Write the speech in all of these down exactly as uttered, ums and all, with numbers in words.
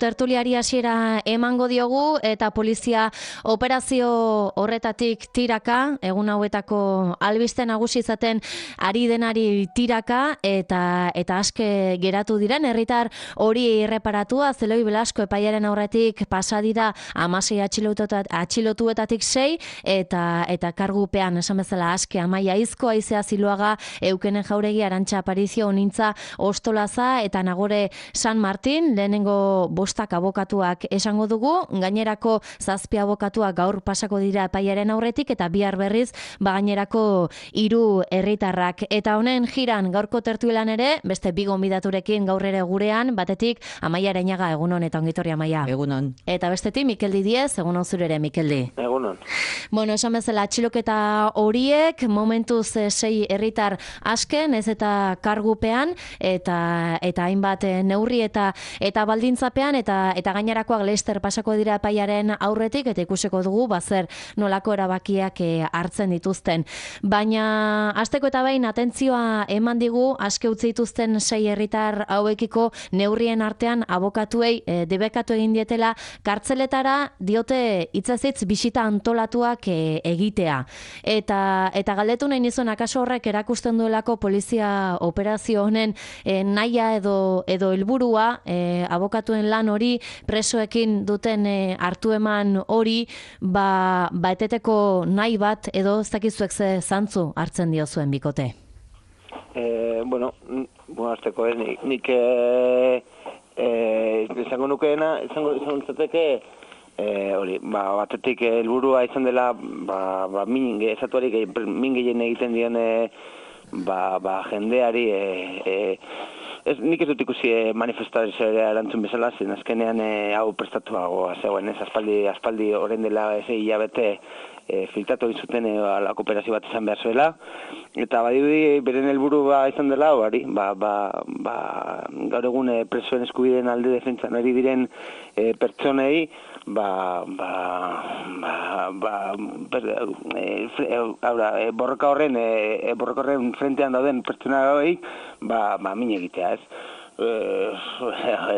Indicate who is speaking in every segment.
Speaker 1: tertuliari hasiera emango diogu eta polizia operazio horretatik tiraka, egun hauetako albiste nagusi izaten ari denari tiraka eta eta aske geratu diren herritar hori erreparatua Zeloi Belasko epaiaren aurretik pasa dira hamasei atxilotuetatik sei eta eta kargupean esan bezala aske Amaia Izko, Aizea Ziloaga, Eukene Jauregi, Arantxa Aparizio, Onintza Ostolaza eta Nagore San Martin, lehenengo bostak abokatuak esango dugu, gainerako zazpi abokatuak gaur pasako dira epaiaren aurretik eta bihar berriz ba gainerako hiru herritarrak. Eta honen jiran gaurko tertulian ere, beste bi gonbidaturekin gaur ere gurean, batetik Amaia Areñaga, egunon eta ongitorri Amaia.
Speaker 2: Egunon.
Speaker 1: Eta bestetik Mikeldi Diez, egunon zure ere Mikeldi.
Speaker 3: Egunon.
Speaker 1: Bueno, esan bezala atxiloketa horiek momentuz sei herritar asken, ez eta kargupean eta eta hainbat neurri eta eta baldintzapean eta eta gainerakoak Leicester pasako dira epaiaren aurretik eta ikusiko dugu bazer nolako erabakiak hartzen dituzten. Baina hasteko eta behin atentzioa eman digu aske utzi dituzten sei herritar hauekiko neurrien artean abokatuei e, debekatu egin dietela kartzeletara diote hitzez hitz bisita antolatuak e, egitea. Eta eta galdetu nahi nizun akaso horrek erakusten duelako polizia operazio honen e, naia edo edo helburua e, abokatuen lan hori presoekin duten e, hartu eman hori ba, ba eteteko nahi bat edo ez dakizuek ze zantzu hartzen dio zuen bikote.
Speaker 3: Eh, bueno, bueno, azteko, eh, nik, nik eh, eh, izango nukeena, izango izango eh, hori, ba, batetik helburua izan dela, ba, ba, min, ezatuari, min gehien egiten dion, eh, ba, ba, jendeari, eh, eh, ez, nik ez dut ikusi eh, manifestazioa erantzun bezala, zen azkenean eh, hau prestatuagoa zegoen, ez, aspaldi, aspaldi orain dela ez hilabete, E, filtratu izuten e, alako operazio bat izan behar zuela, eta badirudi beren helburua izan dela, bari, ba, ba, ba, gaur egun e, presoen eskubideen alde defentsan ari diren e, pertsonei, ba, ba, ba, ba, ber, e, e, aura, e, borroka horren, e, borroka horren frentean dauden pertsona hori, ba, ba, min egitea, ez? E,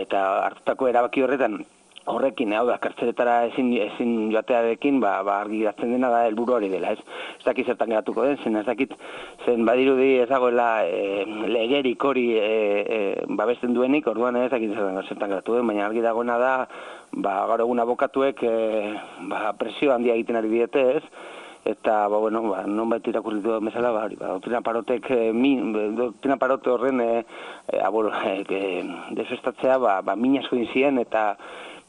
Speaker 3: eta hartutako erabaki horretan, horrekin, hau da, kartzeletara ezin, ezin joatearekin, ba, ba argi geratzen dena da helburu hori dela, ez? Ez dakit zertan geratuko den, zen ez dakit, zen badirudi ez dagoela e, legerik hori e, e, babesten duenik, orduan ez dakit zertan, zertan geratu den, baina argi dagoena da, ba, gaur egun abokatuek e, ba, presio handia egiten ari diete, ez? Eta, ba, bueno, ba, non baita irakurritu da bezala, ba, ba, doktrina parotek, e, min, doktrina parote horren e, e, abolo, e, e, desestatzea, ba, ba, min asko inzien, eta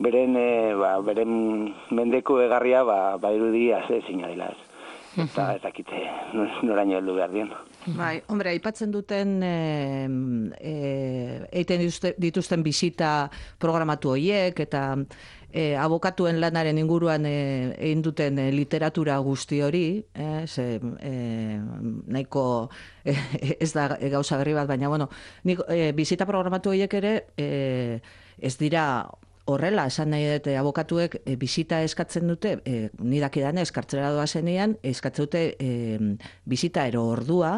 Speaker 3: beren, e, ba, beren mendeko egarria, ba, ba irudia ze zinadila ez. Eta ez dakite noraino heldu behar dien.
Speaker 2: Bai, hombre, aipatzen duten e, e, eiten dituzten bisita programatu horiek eta e, abokatuen lanaren inguruan e, egin duten e, literatura guzti hori, e, ze, e, nahiko e, ez da gauza berri bat, baina bueno, nik, e, bisita programatu horiek ere e, ez dira horrela, esan nahi dute abokatuek e, bisita eskatzen dute, e, nidakidanez, kartzelera doa zenean, eskatzen dute e, bisita ero ordua,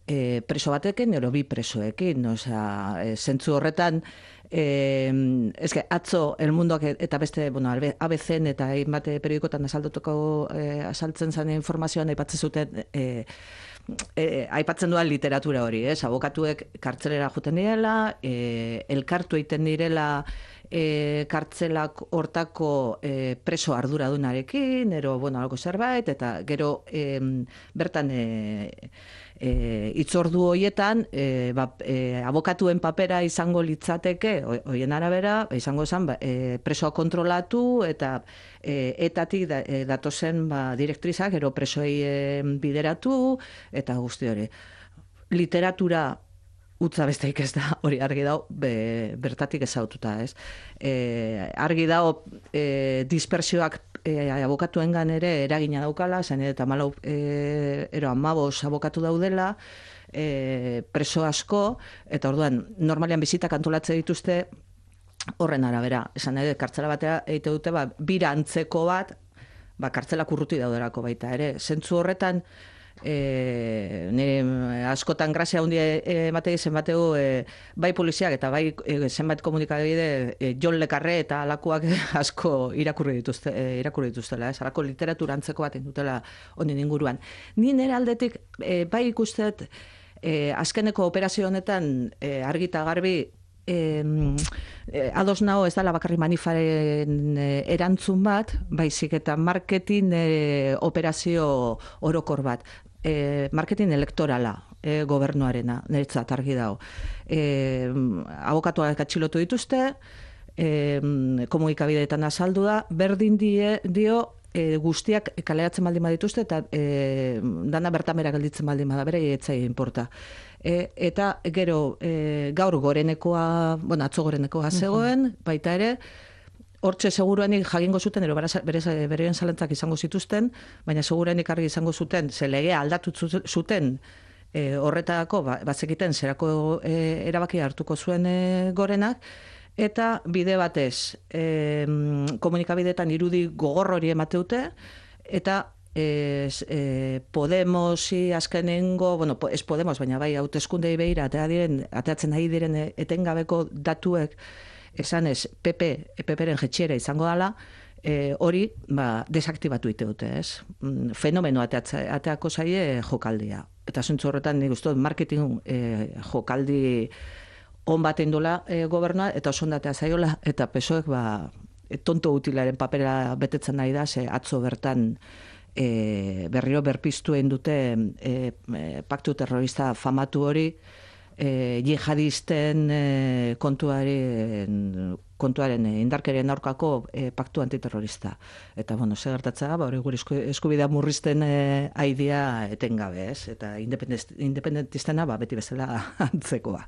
Speaker 2: e, preso batekin, ero bi presoekin, osea, e, zentzu horretan, e, eske, atzo, El Mundoak eta beste, bueno, A B C eta hainbat periodikotan asaldutuko e, asaltzen zen informazioan aipatzen zuten, e, E, aipatzen duan literatura hori, ez? Abokatuek kartzelera joten direla, e, elkartu egiten direla e, kartzelak hortako e, preso arduradunarekin, ero, bueno, algo zerbait, eta gero e, bertan e, e, itzordu horietan e, ba, e, abokatuen papera izango litzateke, horien arabera, izango zen, ba, e, presoa kontrolatu eta E, etatik da, e, datozen ba, direktrizak, ero presoei e, bideratu, eta guzti hori. Literatura utza besteik ez da, hori argi dago, be, bertatik ezaututa, ez? E, argi dago, e, dispersioak e, abokatuengan ere eragina daukala, zen eta malau, e, ero amabos abokatu daudela, e, preso asko, eta orduan, normalean bizitak antolatzen dituzte, horren arabera, esan nahi, kartzela batea egite dute, ba, bira antzeko bat, ba, kartzelak urruti dauderako baita ere. Zentzu horretan, E, nire askotan grazia handia ematei zenbateu e, bai poliziak eta bai e, zenbat komunikabide e, Jon Le Carré eta alakoak asko irakurri dituzte, e, irakurri dituztela, ez? Alako literatura antzeko bat dutela honen inguruan. Ni nire aldetik e, bai ikustet e, azkeneko operazio honetan e, argita garbi E, e, ados nago ez dela bakarri manifaren e, erantzun bat, baizik eta marketing e, operazio orokor bat. E, marketing elektorala e, gobernuarena, niretzat argi dago. E, abokatuak atxilotu dituzte, e, komunikabideetan azaldu da, berdin die, dio e, guztiak kaleratzen baldin badituzte eta e, dana bertamera gelditzen baldin bada, bere etzai inporta. E, eta gero e, gaur gorenekoa, bueno, atzo gorenekoa zegoen, baita ere, hortxe seguruenik jagingo zuten, ero berean zalentzak izango zituzten, baina seguruenik argi izango zuten, ze legea aldatu zuten e, horretako, ba, bazekiten zerako e, erabaki hartuko zuen e, gorenak, eta bide batez, e, komunikabideetan irudi gogor hori emateute, eta Ez, e, Podemosi azkenengo, bueno, ez Podemos, baina bai, hauteskundei behira, atea diren, ateatzen ari diren etengabeko datuek, esan ez, P P, P P-ren jetxiera izango dela, e, hori, ba, desaktibatu ite dute, ez? Fenomeno ateatza, ateako zaie jokaldia. Eta zuntzu horretan, nik uste, marketing e, jokaldi on bat indula e, gobernua, eta oso ondatea zaiola, eta pesoek, ba, tonto utilaren papera betetzen nahi da, ze atzo bertan, E, berriro berpiztu egin dute e, e, paktu terrorista famatu hori e, jihadisten e, kontuaren, kontuaren e, indarkerien aurkako e, paktu antiterrorista. Eta, bueno, ze gertatzea, ba, hori gure eskubidea murrizten e, aidia etengabe, ez? Eta independentistena, ba, beti bezala antzekoa.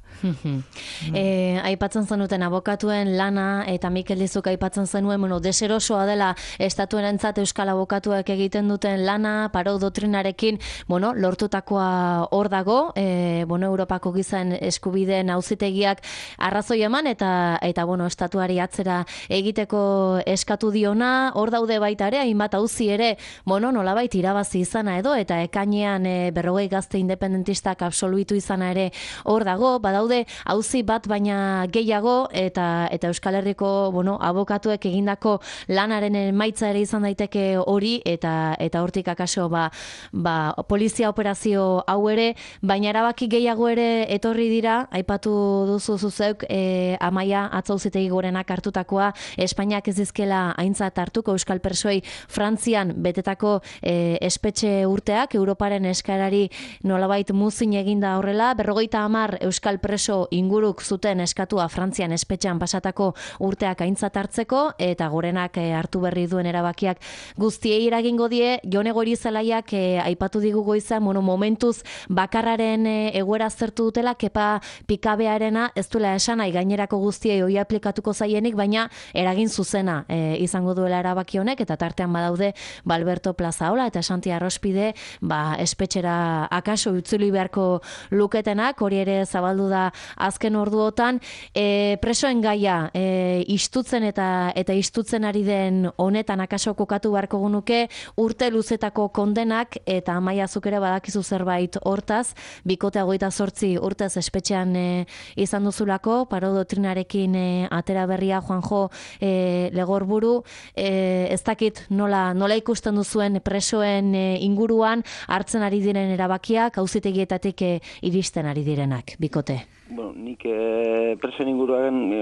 Speaker 1: e, aipatzen zenuten abokatuen lana, eta Mikel Dizuk aipatzen zenuen, bueno, deserosoa dela estatuenentzat euskal abokatuek egiten duten lana, Parot doktrinarekin, bueno, lortutakoa hor dago, e, bueno, Europako gizan eskubideen auzitegiak arrazoi eman, eta, eta bueno, estatuari atzera egiteko eskatu diona, hor daude baita ere, hainbat auzi ere, bueno, nolabait irabazi izana edo, eta ekainean e, berrogei gazte independentistak absoluitu izana ere hor dago, badaude auzi bat baina gehiago, eta eta Euskal Herriko, bueno, abokatuek egindako lanaren emaitza ere izan daiteke hori, eta eta hortik akaso ba, ba, polizia operazio hau ere, baina erabaki gehiago ere etorri dira, aipatu duzu zuzeuk, e, Amaia atzauzitegi gorenak hartutakoa, Espainiak ez dizkela aintzat hartuko euskal persoei Frantzian betetako e, espetxe urteak, Europaren eskarari nolabait muzin eginda horrela, berrogeita hamar euskal preso inguruk zuten eskatua Frantzian espetxean pasatako urteak aintzat hartzeko, eta gorenak e, hartu berri duen erabakiak guztiei eragingo die. Jone Goirizelaiak e, aipatu digu goizan, bueno, momentuz bakarraren e, egoera zertu dutela, kepa pikabearena ez duela esan, nahi gainerako guztiei hoi aplikatuko zaienik, baina eragin zuzena e, izango duela erabaki honek, eta tartean badaude ba, Alberto Plazaola eta Santi Arrospide ba, espetxera akaso utzuli beharko luketenak, hori ere zabaldu da azken orduotan. E, presoen gaia e, istutzen eta eta istutzen ari den honetan akaso kokatu beharko gunuke, urte luzetako kondenak, eta Amaia zuk ere badakizu zerbait hortaz, bikote hogeita zortzi urtez espetxean e, izan duzulako, Parot doktrinarekin e, atera berria Juanjo e, Legorburu, e, ez dakit nola, nola ikusten duzuen presoen e, inguruan hartzen ari diren erabakiak, auzitegietatik e, iristen ari direnak, bikote.
Speaker 3: Bueno, nik e, presoen inguruan e,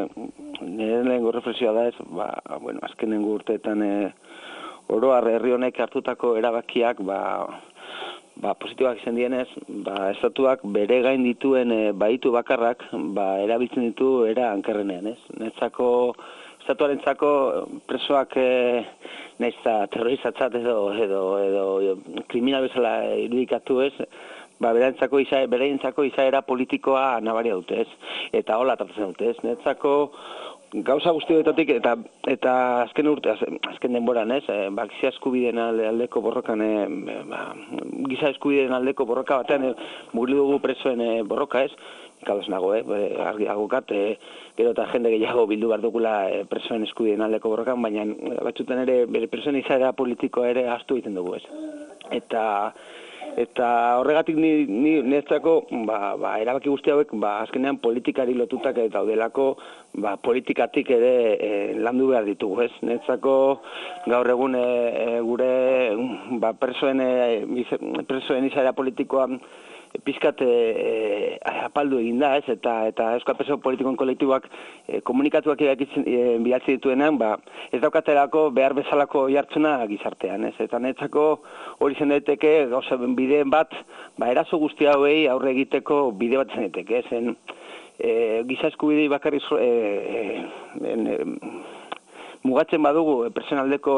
Speaker 3: nire lehenko reflexioa da ez, ba, bueno, azkenengo urteetan e, oro herri honek hartutako erabakiak, ba, ba, positiboak izan dienez, ba, estatuak bere gain dituen e, baitu bakarrak, ba, erabiltzen ditu era hankerrenean, ez? Netzako, estatuarentzako presoak e, nahiz eta terrorizatzat edo, edo, edo kriminal bezala irudikatu ez, ba, berentzako izaera, berentzako izaera politikoa nabaria dute, ez? Eta hola tratatzen dute, ez? Netzako gauza guztioetatik eta eta azken urte azken denboran, ez? E, ba, giza eskubideen aldeko borrokan, e, ba, giza eskubideen aldeko borroka batean e, mugitu dugu presoen e, borroka, ez? Kados nago, eh? Argi agokat, eh, gero eta jende gehiago bildu behar dugula eh, presoen eskubideen aldeko borrokan, baina batzutan ere bere presoen izaera politikoa ere ahaztu egiten dugu, ez? Eta Eta horregatik ni, ni netzako, ba, ba, erabaki guzti hauek, ba, azkenean politikari lotutak eta daudelako, ba, politikatik ere e, landu behar ditugu, ez? Netzako gaur egun e, e, gure ba, presoen, e, presoen izaera politikoa pizkat e, apaldu egin da, ez? Eta, eta euskal preso politikoen kolektiboak e, komunikatuak irakitzen e, bidaltzi dituenean, ba, ez daukaterako behar bezalako jartzuna gizartean, ez? Eta netzako hori zen daiteke, gauza bideen bat, ba, eraso guzti hauei aurre egiteko bide bat zen daiteke, zen e, giza eskubidei bakarri e, e, e, mugatzen badugu personaldeko,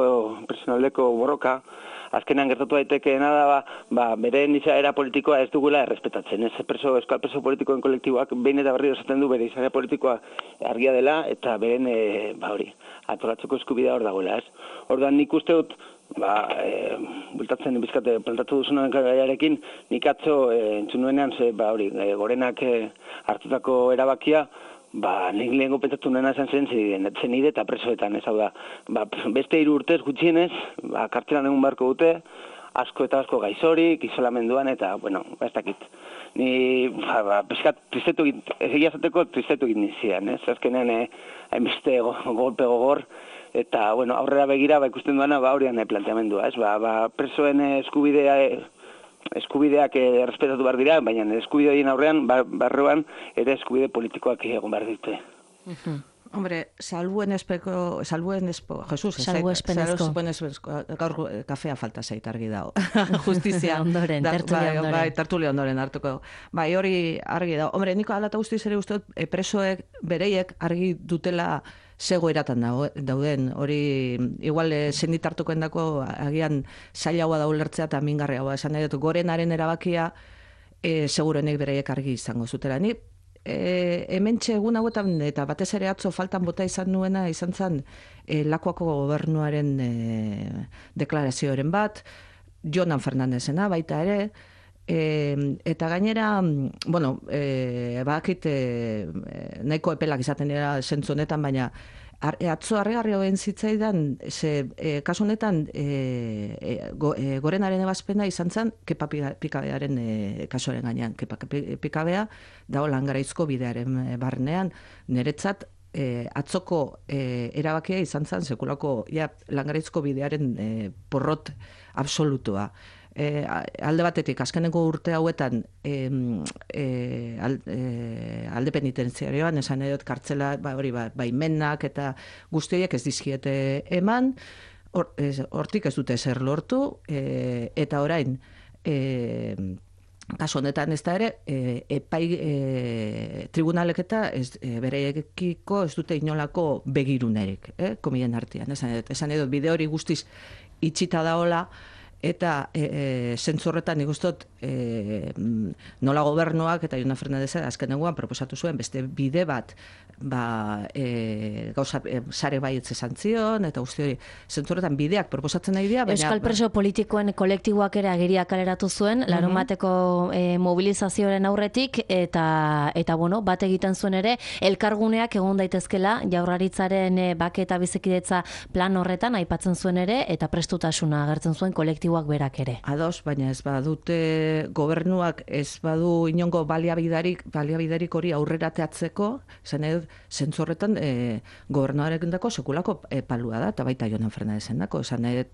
Speaker 3: personaldeko borroka, azkenean gertatu daitekeena da, ba, ba, bere izaera politikoa ez dugula errespetatzen. Ez preso, euskal preso politikoen kolektiboak behin eta berriro esaten du bere izaera politikoa argia dela eta beren, e, ba hori, atolatzeko eskubidea hor dagoela, ez? Orduan nik uste dut, ba, e, bultatzen bizkate plantatu duzunaren gaiarekin, nik atzo e, entzun nuenean, ze, ba hori, e, gorenak e, hartutako erabakia, ba, nik lehenko pentsatu nena esan zen zen nire eta presoetan, ez hau da. Ba, beste hiru urtez gutxienez, ba, kartzelan egun beharko dute, asko eta asko gaizorik, isolamenduan, eta, bueno, ba, ez dakit. Ni, ba, ba, pizkat, tristetu egin, egia zateko tristetu egin nizian, ez? Azkenean, eh, hainbeste go, golpe gogor, eta, bueno, aurrera begira, ba, ikusten duana, ba, horian eh, planteamendua, ez? Ba, ba, presoen eh, eskubidea, eh, eskubideak errespetatu behar dira, baina eskubideien aurrean, barruan, ere eskubide politikoak egon behar dute.
Speaker 2: Uh-huh. Hombre, salbuen espeko, salbuen espo, Jesus,
Speaker 1: salbuespenezko.
Speaker 2: Salbuespenezko, gaur kafea falta zait argi dago. Justizia.
Speaker 1: ondoren, tertulia ondoren.
Speaker 2: Bai, tertulia ondoren hartuko. Bai, hori argi dago. Hombre, niko alata guztiz ere uste dut, presoek, bereiek argi dutela zego eratan dauden, hori igual zendit hartuko endako agian zailagoa da ulertzea eta mingarriagoa esan nahi dut, gorenaren erabakia e, segurenek bereiek argi izango zutela. Ni e, hementxe egun hauetan eta batez ere atzo faltan bota izan nuena izan zen e, Lakuako gobernuaren e, deklarazioaren bat, Jonan Fernandezena baita ere, E, eta gainera, bueno, e, bakit e, nahiko epelak izaten dira zentzu honetan, baina ar, e, atzo harrigarri hoen zitzaidan, ze, e, kasu honetan e, e, go, e, gorenaren ebazpena izan zen Kepa Pikabearen e, kasuaren gainean. Kepa Pikabea dago Langaraizko bidearen barnean, niretzat e, atzoko e, erabakia izan zen sekulako ja, Langaraizko bidearen e, porrot absolutua. E, alde batetik, azkeneko urte hauetan e, e, al, e, alde penitenziarioan, esan edot kartzela, ba, hori, ba, baimenak eta guztiek ez dizkiete eman, or, ez, hortik ez dute zer lortu, e, eta orain, e, kasu honetan ez da ere, e, epai e, tribunalek eta ez, e, bereekiko ez dute inolako begirunerik, eh, komien artean, esan edot, esan edot bide hori guztiz itxita daola, eta e, e, zentzorretan nik ustot e, nola gobernuak eta Jonan Fernandez azkenengoan proposatu zuen beste bide bat ba, e, gauza e, sare baietz esan zion eta guzti hori zentzorretan bideak proposatzen nahi dira.
Speaker 1: Euskal preso politikoen kolektiboak ere agiria kaleratu zuen, larun bateko e, mobilizazioaren aurretik eta, eta bueno, bat egiten zuen ere elkarguneak egon daitezkela Jaurlaritzaren e, bake eta bizikidetza plan horretan aipatzen zuen ere eta prestutasuna agertzen zuen kolektiboak berak ere.
Speaker 2: Ados, baina ez badute gobernuak ez badu inongo baliabidarik, baliabidarik hori aurrerateatzeko, zen edo zentzorretan e, gobernuarekin dako sekulako e, palua da, eta baita Jonan Fernadezen dako, esan edo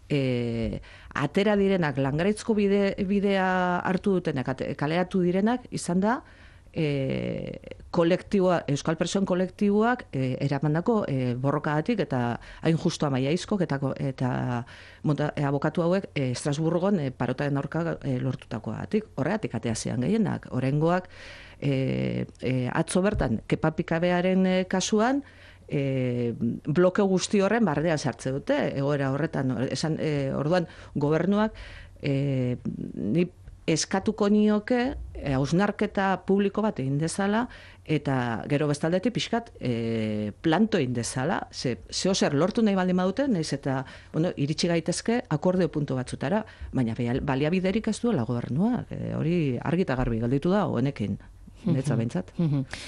Speaker 2: e, atera direnak, Langaraizko bide, bidea hartu dutenak, kaleratu direnak, izan da, E, kolektiboa, Euskal Presoen kolektiboak e, eramandako e, borrokagatik eta hain justu amaiaizkok eta, eta monta, e, abokatu hauek e, Estrasburgon e, parotaren aurka e, lortutakoagatik. Horregatik atea zian gehienak. Oraingoak e, e, atzo bertan Kepa Pikabearen e, kasuan E, bloke guzti horren bardean sartze dute, egoera horretan, esan, e, orduan gobernuak e, ni eskatuko nioke hausnarketa publiko bat egin dezala eta gero bestaldetik pixkat e, planto egin dezala, ze, zeo zer lortu nahi baldin badute, nahiz eta bueno, iritsi gaitezke akordeo puntu batzutara, baina baliabiderik ez duela gobernuak, e, hori argi eta garbi galditu da honekin. netza behintzat.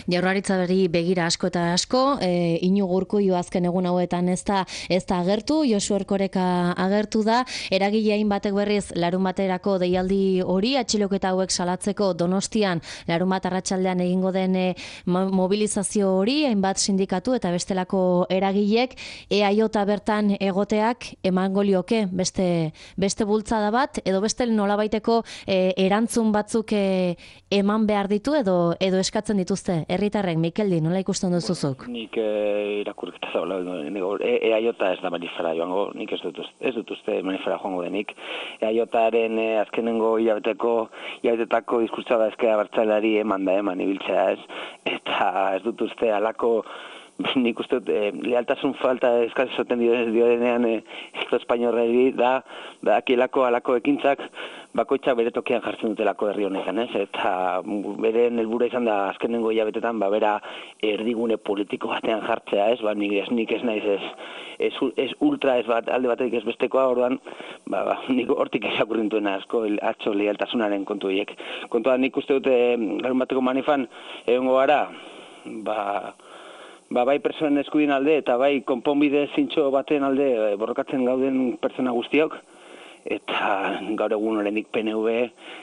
Speaker 1: Jaurlaritzari begira asko eta asko, e, Iñigo Urkullu azken egun hauetan ez da, ez da agertu, Josu Erkoreka agertu da, eragileain batek berriz larun baterako deialdi hori, atxiloketa hauek salatzeko Donostian larun bat arratsaldean egingo den e, mobilizazio hori, hainbat sindikatu eta bestelako eragilek, E A J bertan egoteak emango lioke beste, beste bultzada bat, edo beste nolabaiteko e, erantzun batzuk e, eman behar ditu, edo edo eskatzen dituzte herritarrek. Mikeldi, nola ikusten duzuzuk?
Speaker 3: Nik eh, irakurketa zaula, E A J ez da manifera joango, nik ez dut, ez dut uste manifera joango denik. E A Jaren eh, azkenengo hilabeteko, hilabetetako diskurtsoa da ezkera bertzalari eman da eman ibiltzea ez, eta ez dut uste alako nik uste dut, eh, lealtasun falta eskaz esoten diodenean eh, Estatu Espainiorrari da, da akielako alako ekintzak bakoitzak bere tokian jartzen dutelako herri honetan, ez? Eta beren helburua izan da azkenengo hilabetetan ba bera erdigune politiko batean jartzea, ez? Ba nik ez nik ez naiz ez ez, ez ultra ez bat alde batetik ez bestekoa, orduan ba, ba nik hortik irakurrintuena asko atzo lealtasunaren kontu hiek. Kontua nik uste dut eh, larun bateko manifan egongo gara, ba Ba, bai pertsonen eskubideen alde eta bai konponbide zintxo baten alde e, borrokatzen gauden pertsona guztiok, eta gaur egun oraindik P N V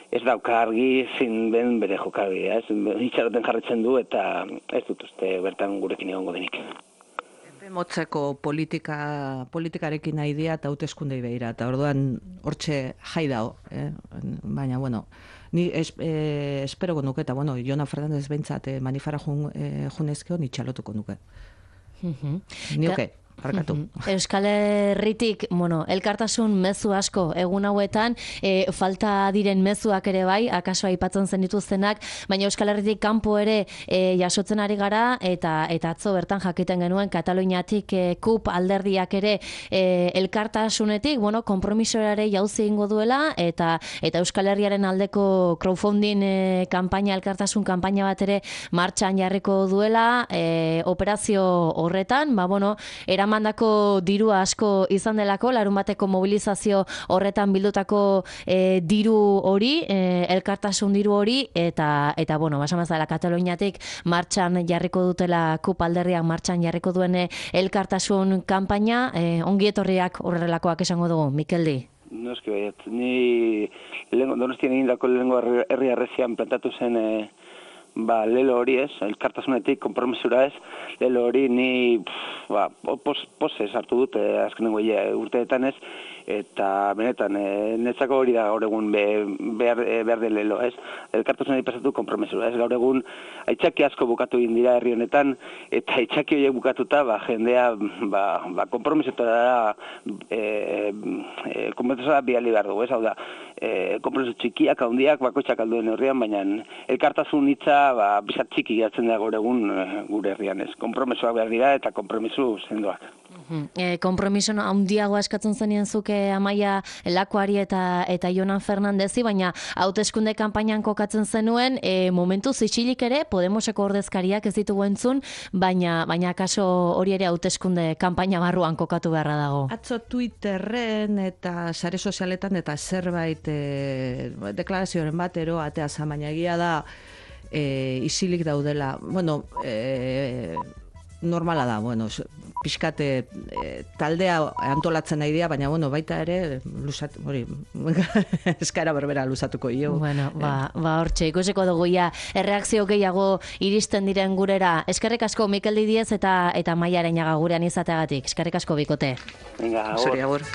Speaker 3: ez dauka argi zein den bere jokabidea, ez? Itxaroten jarraitzen du eta ez dut uste bertan gurekin egongo denik.
Speaker 2: Epe motzeko politika, politikarekin nahi dira eta hauteskundei begira, eta orduan hortxe jai dao, eh? Baina, bueno, ni es, eh, esperoko nuke, eta bueno, Jona Fernandez behintzat eh, manifara jun, eh, junezkeo ni txalotuko nuke.
Speaker 1: Uh-huh.
Speaker 2: Ni oke. Barkatu.
Speaker 1: Euskal Herritik, bueno, elkartasun mezu asko egun hauetan, e, falta diren mezuak ere bai, akaso aipatzen zen dituztenak, baina Euskal Herritik kanpo ere e, jasotzen ari gara, eta eta atzo bertan jakiten genuen Kataluniatik e, KUP alderdiak ere e, elkartasunetik, bueno, konpromisoare jauzi egingo duela, eta eta Euskal Herriaren aldeko crowdfunding e, kanpaina, elkartasun kanpaina bat ere martxan jarriko duela, e, operazio horretan, ba, bueno, era mandako dirua asko izan delako, larun bateko mobilizazio horretan bildutako e, diru hori, e, elkartasun diru hori, eta, eta bueno, basamazala Kataluniatik martxan jarriko dutela KUP alderriak martxan jarriko duen elkartasun kanpaina, e, ongi etorriak horrelakoak esango dugu, Mikeldi?
Speaker 3: Noski baiet, ni Donostian egindako lehengo herri arrezian plantatu zen e, ba, lelo hori ez, elkartasunetik, konpromisura ez, lelo hori ni pff, ba, pos, pose sartu dut eh, azkenengo urteetan ez, eta benetan, e, netzako hori da gaur egun be, behar, e, behar den lelo ez, elkartasunari pasatu konpromisura ez, gaur egun aitzaki asko bukatu egin dira herri honetan, eta aitzaki horiek bukatuta, ba, jendea, ba, ba konpromisetara e, e, konpromisora biali behar dugu ez, hau da, e, konpromiso txikiak, handiak, bakoitzak alduen herrian, baina elkartasun hitza ba, bizat txiki gatzen da gaur egun gure herrian ez. Konpromisoak behar dira eta konpromiso sendoak.
Speaker 1: E, konpromiso handiago eskatzen zenien zuke Amaia Lakuari eta eta Jonan Fernandezi, baina hauteskunde kanpainan kokatzen zenuen, e, momentu zitxilik ere Podemoseko ordezkariak ez ditugu entzun, baina baina kaso hori ere hauteskunde kanpaina barruan kokatu beharra dago.
Speaker 2: Atzo Twitterren eta sare sozialetan eta zerbait e, deklarazioaren batero atea za, baina egia da e, isilik daudela. Bueno, e, normala da, bueno, pixkate e, taldea antolatzen nahi dira, baina bueno, baita ere lusat, hori, eskaera berbera lusatuko io.
Speaker 1: Bueno, ba, ba hortxe, ikusiko dugu ja, erreakzio gehiago iristen diren gurera. Eskerrik asko Mikeldi Diez eta eta Amaia Areñaga gurean izateagatik. Eskerrik asko bikote.
Speaker 3: Venga,
Speaker 2: agur.